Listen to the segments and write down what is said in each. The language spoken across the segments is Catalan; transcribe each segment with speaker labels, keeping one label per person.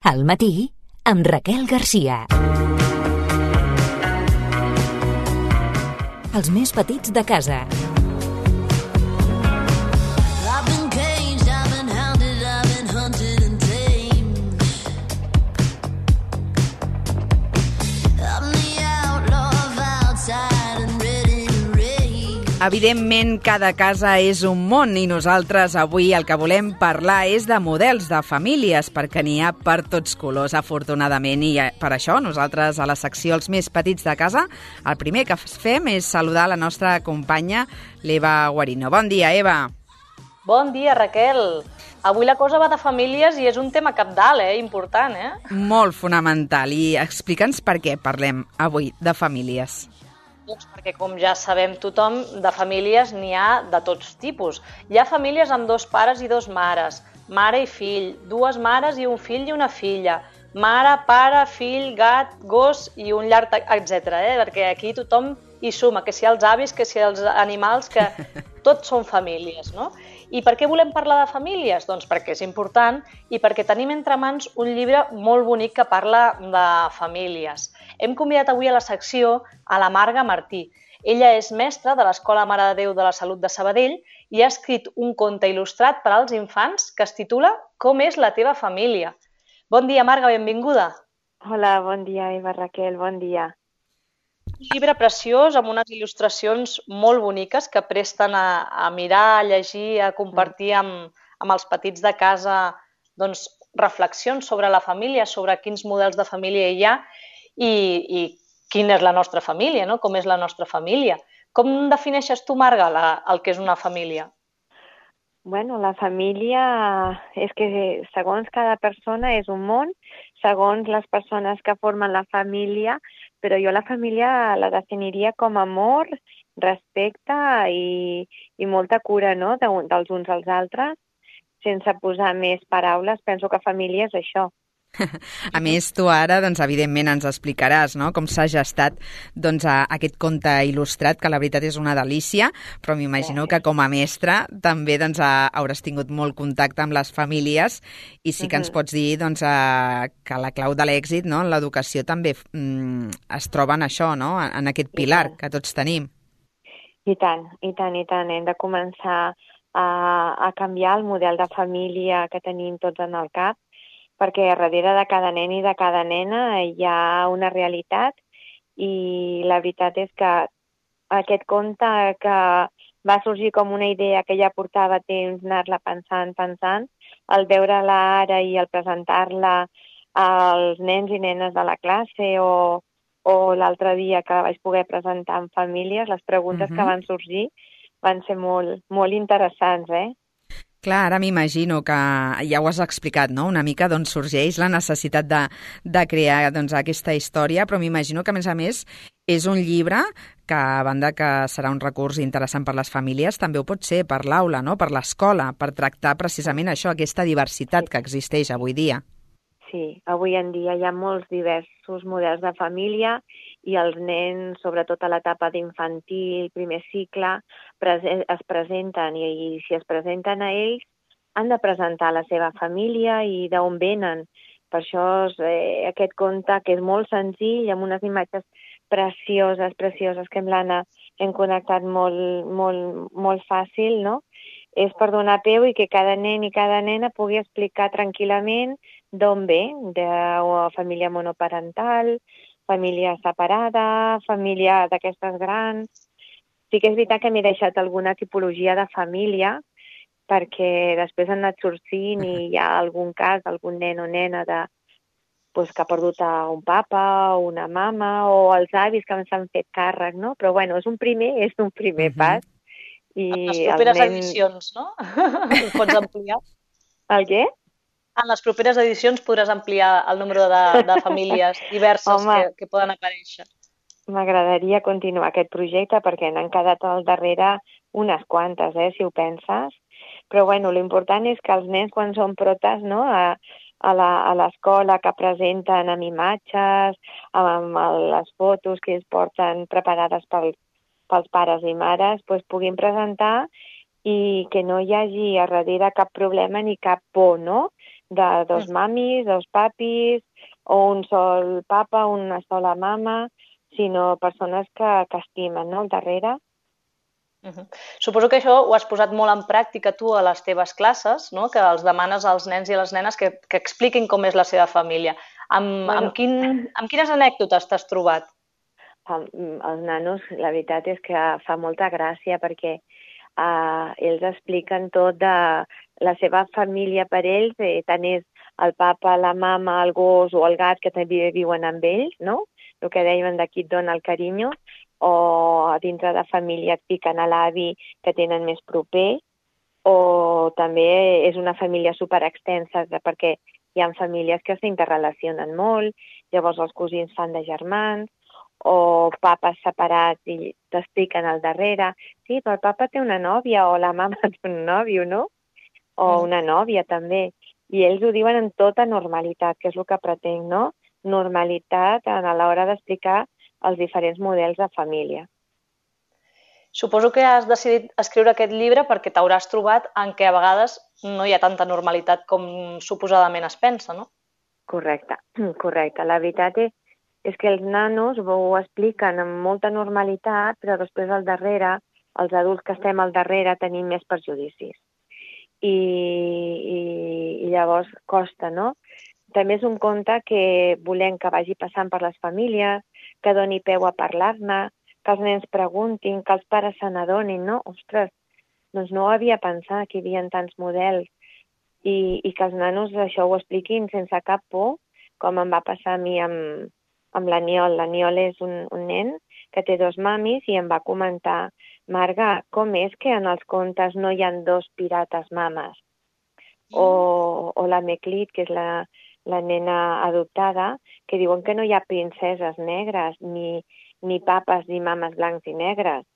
Speaker 1: Al matí, amb Raquel Garcia. Els més petits de casa.
Speaker 2: Evidentment, cada casa és un món i nosaltres avui el que volem parlar és de models de famílies, perquè n'hi ha per tots colors, afortunadament. I per això nosaltres, a la secció Els més petits de casa, el primer que fem és saludar la nostra companya, l'Eva Guarino. Bon dia, Eva.
Speaker 3: Bon dia, Raquel. Avui la cosa va de famílies i és un tema cabdal, important,
Speaker 2: Molt fonamental. I explica'ns per què parlem avui de famílies.
Speaker 3: Doncs perquè, com ja sabem tothom, de famílies n'hi ha de tots tipus. Hi ha famílies amb 2 pares i 2 mares, mare i fill, 2 mares i un fill i una filla, mare, pare, fill, gat, gos i un llarg, etc. Perquè aquí tothom hi suma, que si els avis, que si els animals, que tots són famílies, no? I per què volem parlar de famílies? Doncs perquè és important i perquè tenim entre mans un llibre molt bonic que parla de famílies. Hem convidat avui a la secció a la Marga Martí. Ella és mestra de l'Escola Mare de Déu de la Salut de Sabadell i ha escrit un conte il·lustrat per als infants que es titula Com és la teva família? Bon dia, Marga, benvinguda.
Speaker 4: Hola, bon dia, Eva, Raquel, bon dia.
Speaker 3: Un llibre preciós amb unes il·lustracions molt boniques que presten a mirar, a llegir, a compartir amb els petits de casa doncs, reflexions sobre la família, sobre quins models de família hi ha i quina és la nostra família, no? Com és la nostra família. Com defineixes tu, Marga, el que és una família?
Speaker 4: Bueno, la família és que segons cada persona és un món, segons les persones que formen la família, però jo la família la definiria com amor, respecte i molta cura, no?, dels uns als altres, sense posar més paraules. Penso que família és això.
Speaker 2: A més, tu ara, doncs, evidentment, ens explicaràs, no?, com s'ha gestat doncs, aquest conte il·lustrat, que la veritat és una delícia, però m'imagino que com a mestra també doncs, hauràs tingut molt contacte amb les famílies i sí que ens pots dir doncs, que la clau de l'èxit, no?, en l'educació també es troba en això, no?, en aquest pilar que tots tenim.
Speaker 4: I tant. Hem de començar a canviar el model de família que tenim tots en el cap, perquè darrere de cada nen i de cada nena hi ha una realitat i la veritat és que aquest conte que va sorgir com una idea que ja portava temps anar-la pensant, al veure-la ara i al presentar-la als nens i nenes de la classe o l'altre dia que la vaig poder presentar en famílies, les preguntes que van sorgir van ser molt, molt interessants,
Speaker 2: Clar, ara m'imagino que ja ho has explicat, no?, una mica d'on sorgeix la necessitat de crear doncs, aquesta història, però m'imagino que, a més, és un llibre que, a banda que serà un recurs interessant per les famílies, també ho pot ser per l'aula, no?, per l'escola, per tractar precisament això, aquesta diversitat que existeix avui dia.
Speaker 4: Sí, avui en dia hi ha molts diversos models de família i els nens, sobretot a l'etapa d'infantil, primer cicle, es presenten i si es presenten a ells han de presentar la seva família i d'on venen. Per això aquest conte, que és molt senzill, amb unes imatges precioses, que amb l'Anna hem connectat molt fàcil, no?, és per donar peu i que cada nen i cada nena pugui explicar tranquil·lament d'on ve, de família monoparental, família separada, família d'aquestes grans. Sí que és veritat que m'he deixat alguna tipologia de família perquè després han anat sortint i hi ha algun cas, algun nen o nena que ha perdut un papa o una mama o els avis que s'han fet càrrec, no? Però bueno, és un primer pas. I
Speaker 3: en les properes edicions, no? Ho pots ampliar?
Speaker 4: El què?
Speaker 3: En les properes edicions podràs ampliar el número de famílies diverses que poden aparèixer.
Speaker 4: M'agradaria continuar aquest projecte perquè n'han quedat al darrere unes quantes, si ho penses. Però bueno, l'important és que els nens, quan són protes, no?, a l'escola, que presenten amb imatges, amb les fotos que es porten preparades pels pares i mares, puguin presentar i que no hi hagi a darrere cap problema ni cap por, no?, de dos mamis, dos papis, o un sol papa, una sola mama, sinó persones que estimen, no?, al darrere.
Speaker 3: Suposo que això ho has posat molt en pràctica tu a les teves classes, no? Que els demanes als nens i a les nenes que expliquin com és la seva família. Amb quines anècdotes t'has trobat?
Speaker 4: Els nanos, la veritat és que fa molta gràcia perquè ells expliquen tot de la seva família per ells, tant és el papa, la mama, el gos o el gat que també viuen amb ells, no? El que deien d'aquí et dona el carinyo, o dintre de família et piquen a l'avi que tenen més proper, o també és una família superextensa perquè hi ha famílies que s'interrelacionen molt, llavors els cosins fan de germans, o papes separats i t'expliquen al darrere, sí, però el papa té una nòvia o la mama té un nòvio, no? O una nòvia també. I ells ho diuen en tota normalitat, que és el que pretenc, no? Normalitat a l'hora d'explicar els diferents models de família.
Speaker 3: Suposo que has decidit escriure aquest llibre perquè t'hauràs trobat en què a vegades no hi ha tanta normalitat com suposadament es pensa, no?
Speaker 4: Correcte. La veritat és que els nanos ho expliquen amb molta normalitat, però després al darrere, els adults que estem al darrere tenim més perjudicis. I llavors costa, no? També és un conte que volem que vagi passant per les famílies, que doni peu a parlar-ne, que els nens preguntin, que els pares se n'adonin, no? Ostres, doncs no ho havia pensat que hi havia tants models i que els nanos això ho expliquin sense cap por, com em va passar a mi amb l'Aniol. L'Aniol és un nen que té dos mamis i em va comentar: Marga, com és que en els contes no hi ha dos pirates mames? O la Meclit, que és la nena adoptada, que diuen que no hi ha princeses negres, ni papes ni mames blancs i negres.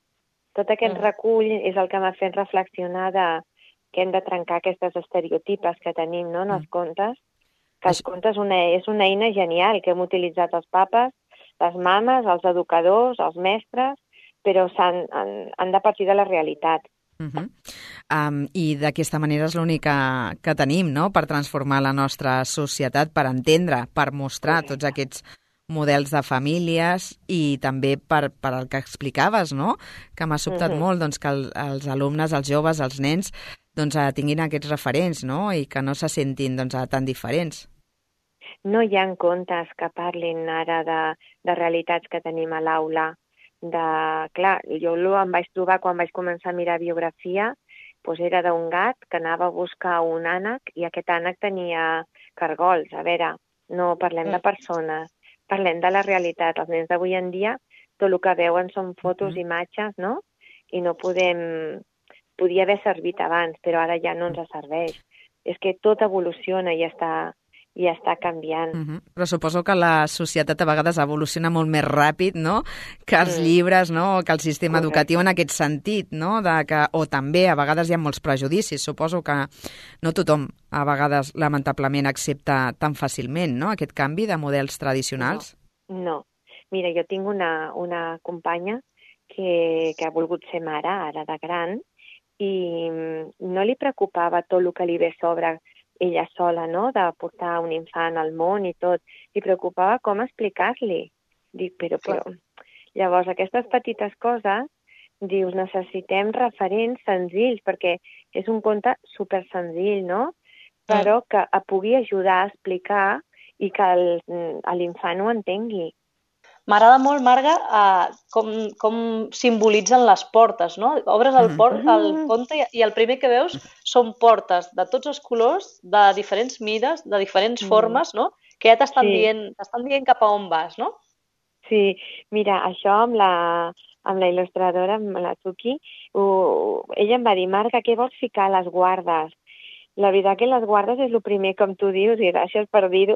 Speaker 4: Tot aquest recull és el que m'ha fet reflexionar que hem de trencar aquestes estereotipes que tenim, no?, en els contes, que els contes és una eina genial que hem utilitzat els papes, les mames, els educadors, els mestres, però han de partir de la realitat.
Speaker 2: I d'aquesta manera és l'única que tenim, no?, per transformar la nostra societat, per entendre, per mostrar tots aquests models de famílies i també per el que explicaves, no?, que m'ha sobtat molt, doncs, que els alumnes, els joves, els nens, doncs, tinguin aquests referents, no?, i que no se sentin, doncs, tan diferents.
Speaker 4: No hi ha contes que parlin ara de realitats que tenim a l'aula. Clar, jo em vaig trobar quan vaig començar a mirar biografia, doncs era d'un gat que anava a buscar un ànec i aquest ànec tenia cargols. A veure, no parlem de persones, parlem de la realitat. Els nens d'avui en dia tot el que veuen són fotos, imatges, no? I no podem... Podia haver servit abans, però ara ja no ens serveix. És que tot evoluciona i està canviant.
Speaker 2: Però suposo que la societat a vegades evoluciona molt més ràpid, no?, que els llibres, no?, que el sistema educatiu en aquest sentit, no?, o també a vegades hi ha molts prejudicis. Suposo que no tothom a vegades lamentablement accepta tan fàcilment, no?, aquest canvi de models tradicionals.
Speaker 4: No. Mira, jo tinc una companya que ha volgut ser mare ara de gran i no li preocupava tot el que li ve sobre ella sola, no?, de portar un infant al món i tot. Li preocupava com explicar-li. Dic, però... Llavors, aquestes petites coses, dius, necessitem referents senzills, perquè és un conte super senzill, no?, però que pugui ajudar a explicar i que l'infant ho entengui.
Speaker 3: M'agrada molt, Marga, com simbolitzen les portes, no? Obres el conte i el primer que veus són portes de tots els colors, de diferents mides, de diferents formes, no? Que ja t'estan dient cap a on vas, no?
Speaker 4: Sí, mira, això amb la il·lustradora, amb la Tuki, ella em va dir: Marga, què vols ficar a les guardes? La veritat que les guardes és el primer, com tu dius, i gràcies per dir-ho,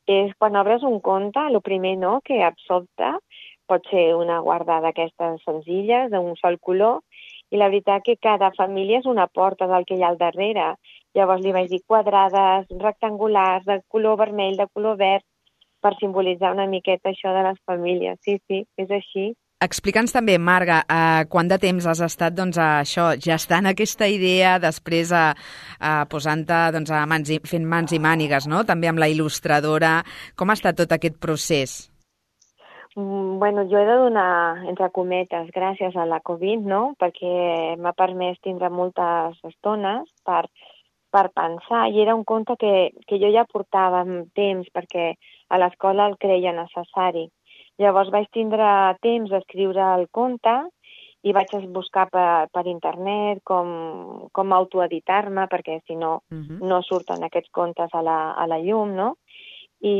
Speaker 4: és quan obres un conte, el primer no, que et sobta, pot ser una guarda d'aquestes senzilles, d'un sol color, i la veritat que cada família és una porta del que hi ha al darrere. Llavors li vaig dir quadrades, rectangulars, de color vermell, de color verd, per simbolitzar una miqueta això de les famílies. Sí, és així.
Speaker 2: Explica'ns també, Marga, quant de temps has estat gestant aquesta idea, després posant-te fent mans i mànigues, no? També amb la il·lustradora. Com ha estat tot aquest procés?
Speaker 4: Bueno, jo he de donar, entre cometes, gràcies a la Covid, no? Perquè m'ha permès tindre moltes estones per pensar, i era un conte que jo ja portava temps perquè a l'escola el creia necessari. Llavors vaig tindre temps d'escriure el conte i vaig buscar per internet com autoeditar-me, perquè si no, no surten aquests contes a la llum, no? I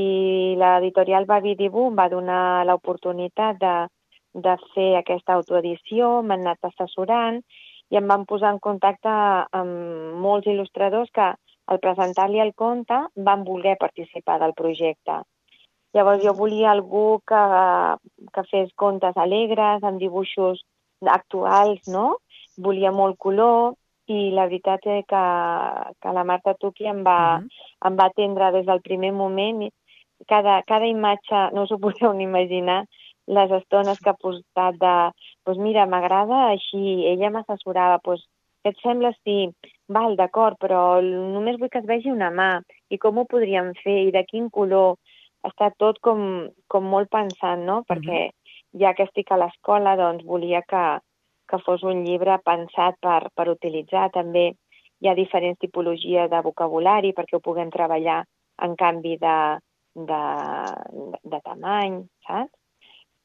Speaker 4: l'editorial Babi Dibu em va donar l'oportunitat de fer aquesta autoedició, m'han anat assessorant i em van posar en contacte amb molts il·lustradors que al presentar-li el conte van voler participar del projecte. Llavors jo volia algú que fes contes alegres, amb dibuixos actuals, no? Volia molt color i la veritat és que la Marta Tuqui em va atendre des del primer moment. Cada imatge, no us ho podeu ni imaginar, les estones que ha posat doncs mira, m'agrada així, ella m'assessorava, doncs què et sembla si, val, d'acord, però només vull que es vegi una mà, i com ho podríem fer, i de quin color, està tot com molt pensant, no? Perquè ja que estic a l'escola, doncs volia que fos un llibre pensat per utilitzar. També hi ha diferents tipologies de vocabulari perquè ho puguem treballar en canvi de tamany, saps?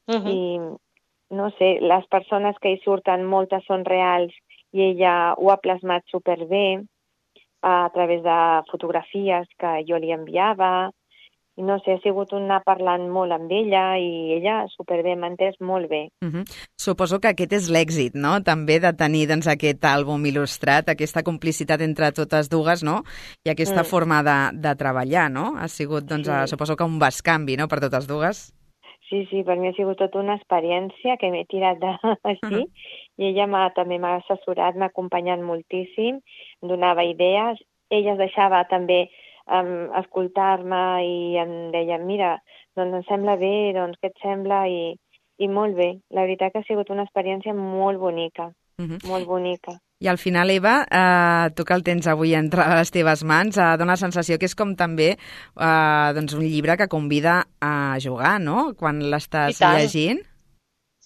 Speaker 4: I, no sé, les persones que hi surten, moltes són reals i ella ho ha plasmat superbé a través de fotografies que jo li enviava. I no sé, ha sigut anar parlant molt amb ella i ella superbé, m'ha entès molt bé.
Speaker 2: Suposo que aquest és l'èxit, no? També de tenir aquest àlbum il·lustrat, aquesta complicitat entre totes dues, no? I aquesta forma de treballar, no? Ha sigut, suposo que un bescanvi, no?, per totes dues.
Speaker 4: Sí, per mi ha sigut tota una experiència que m'he tirat així i ella també m'ha assessorat, m'ha acompanyat moltíssim, em donava idees. Ella es deixava també escoltar-me i em deia, mira, doncs em sembla bé, doncs què et sembla? I molt bé. La veritat que ha sigut una experiència molt bonica, molt bonica.
Speaker 2: I al final, Eva, tu que el tens avui entre les teves mans, dona la sensació que és com també un llibre que convida a jugar, no?, quan l'estàs llegint.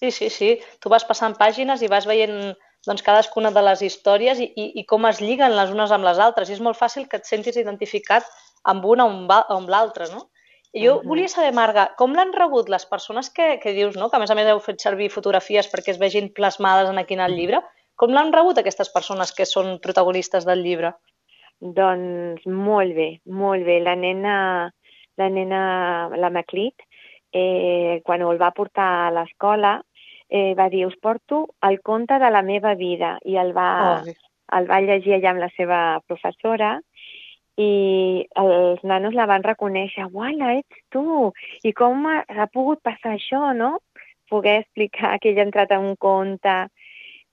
Speaker 3: Sí. Tu vas passant pàgines i vas veient cadascuna de les històries i com es lliguen les unes amb les altres. I és molt fàcil que et sentis identificat amb una o amb l'altra, no? I jo volia saber, Marga, com l'han rebut les persones que dius, no?, que a més heu fet servir fotografies perquè es vegin plasmades aquí en el llibre. Com l'han rebut aquestes persones que són protagonistes del llibre?
Speaker 4: Doncs molt bé, molt bé. La nena, la Maclit, quan el va portar a l'escola, va dir, us porto el conte de la meva vida, i el va llegir allà amb la seva professora, i els nanos la van reconèixer. Uala, ets tu! I com ha pogut passar això, no? Poder explicar que ella ha entrat en un conte.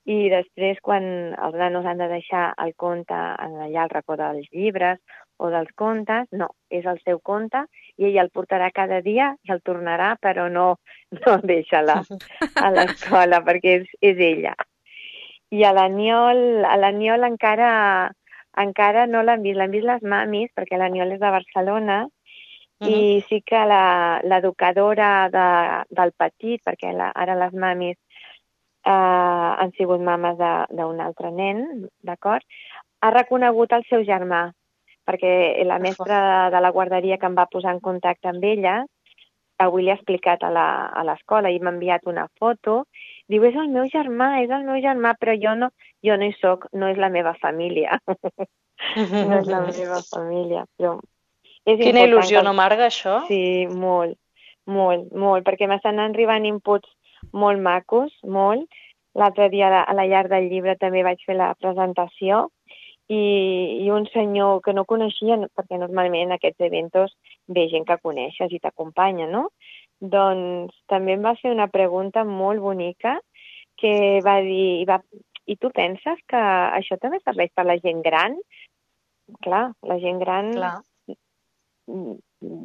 Speaker 4: I després, quan els nanos han de deixar el conte allà al racó dels llibres o dels contes, no, és el seu conte i ella el portarà cada dia i el tornarà, però no deixa-la a l'escola perquè és ella. I a l'Aniol encara no l'han vist les mamis, perquè l'Aniol és de Barcelona, i sí que l'educadora del petit, perquè ara les mamis han sigut mames d'un altre nen, d'acord? Ha reconegut el seu germà, perquè la mestra de la guarderia que em va posar en contacte amb ella, avui li ha explicat a l'escola i m'ha enviat una foto, diu, és el meu germà, però jo no hi soc, no és la meva família. No és la meva família, però
Speaker 3: quina il·lusió, no, Marga, això?
Speaker 4: Sí, molt, perquè m'estan arribant inputs molt macos, molt. L'altre dia a la llar del llibre també vaig fer la presentació i un senyor que no coneixia, perquè normalment en aquests eventos ve gent que coneixes i t'acompanya, no? Doncs també em va fer una pregunta molt bonica que va dir, i tu penses que això també serveix per la gent gran? Clar, la gent gran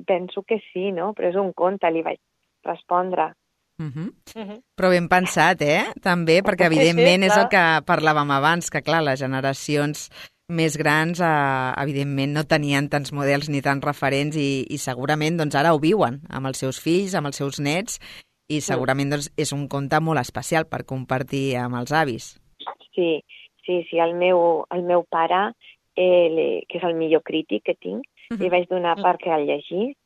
Speaker 4: penso que sí, no? Però és un conte, li vaig respondre.
Speaker 2: Però ben pensat, també, perquè evidentment és el que parlàvem abans, que clar, les generacions més grans evidentment no tenien tants models ni tants referents i segurament doncs, ara ho viuen amb els seus fills, amb els seus nets i segurament doncs, és un conte molt especial per compartir amb els avis.
Speaker 4: Sí, el meu pare, que és el millor crític que tinc, li vaig donar perquè el llegís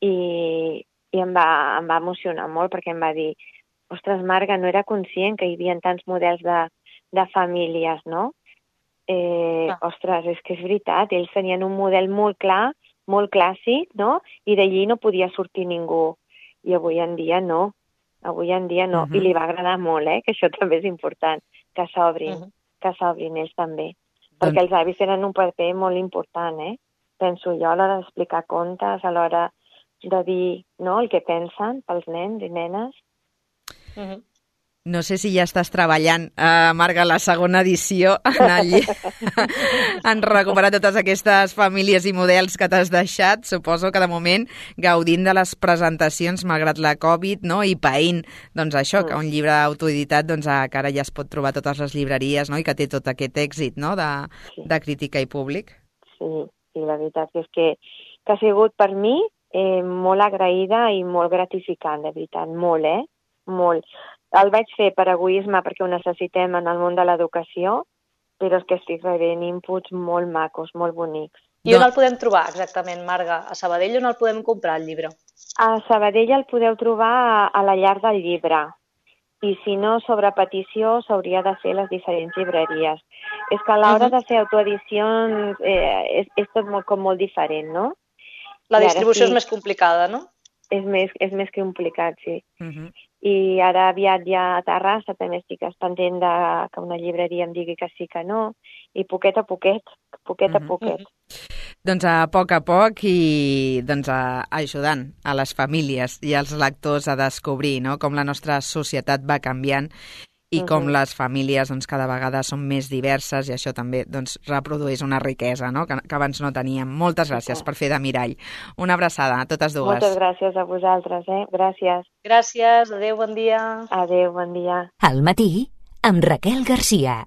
Speaker 4: i em va emocionar molt perquè em va dir ostres, Marga, no era conscient que hi havia tants models de famílies, no? Ostres, és que és veritat, ells tenien un model molt clar, molt clàssic, no? I d'allí no podia sortir ningú. I avui en dia no. I li va agradar molt, que això també és important, que s'obrin ells també. Perquè els avis tenen un paper molt important, penso jo, a l'hora d'explicar contes, a l'hora de dir el que pensen pels nens i nenes.
Speaker 2: No sé si ja estàs treballant, Marga, la segona edició en recuperar totes aquestes famílies i models que t'has deixat. Suposo que de moment gaudint de les presentacions malgrat la Covid, no? I païnt, doncs això, que un llibre autoeditat que ara ja es pot trobar a totes les llibreries, no? I que té tot aquest èxit, no? De crítica i públic.
Speaker 4: Sí, la veritat és que ha sigut per mi molt agraïda i molt gratificant, de veritat, molt, molt. El vaig fer per egoisme perquè ho necessitem en el món de l'educació, però és que estic rebent inputs molt macos, molt bonics.
Speaker 3: I on el podem trobar exactament, Marga? A Sabadell on el podem comprar, el llibre?
Speaker 4: A Sabadell el podeu trobar a la Llar del Llibre. I si no, sobre petició s'hauria de fer les diferents llibreries. És que a l'hora de fer autoedicions és tot molt diferent, no?
Speaker 3: La distribució és més complicada, no?
Speaker 4: És més que complicat, sí. I ara aviat ja a Terrassa també estic pendent que una llibreria em digui que sí que no, i poquet a poquet.
Speaker 2: Doncs a poc i ajudant a les famílies i als lectors a descobrir, no?, com la nostra societat va canviant i com les famílies cada vegada són més diverses i això també reprodueix una riquesa, no?, que abans no teníem. Moltes gràcies per fer de mirall. Una abraçada a totes dues.
Speaker 4: Moltes gràcies a vosaltres, Gràcies.
Speaker 3: Gràcies, adéu, bon dia.
Speaker 4: Adéu, bon dia.
Speaker 1: Al matí, amb Raquel Garcia.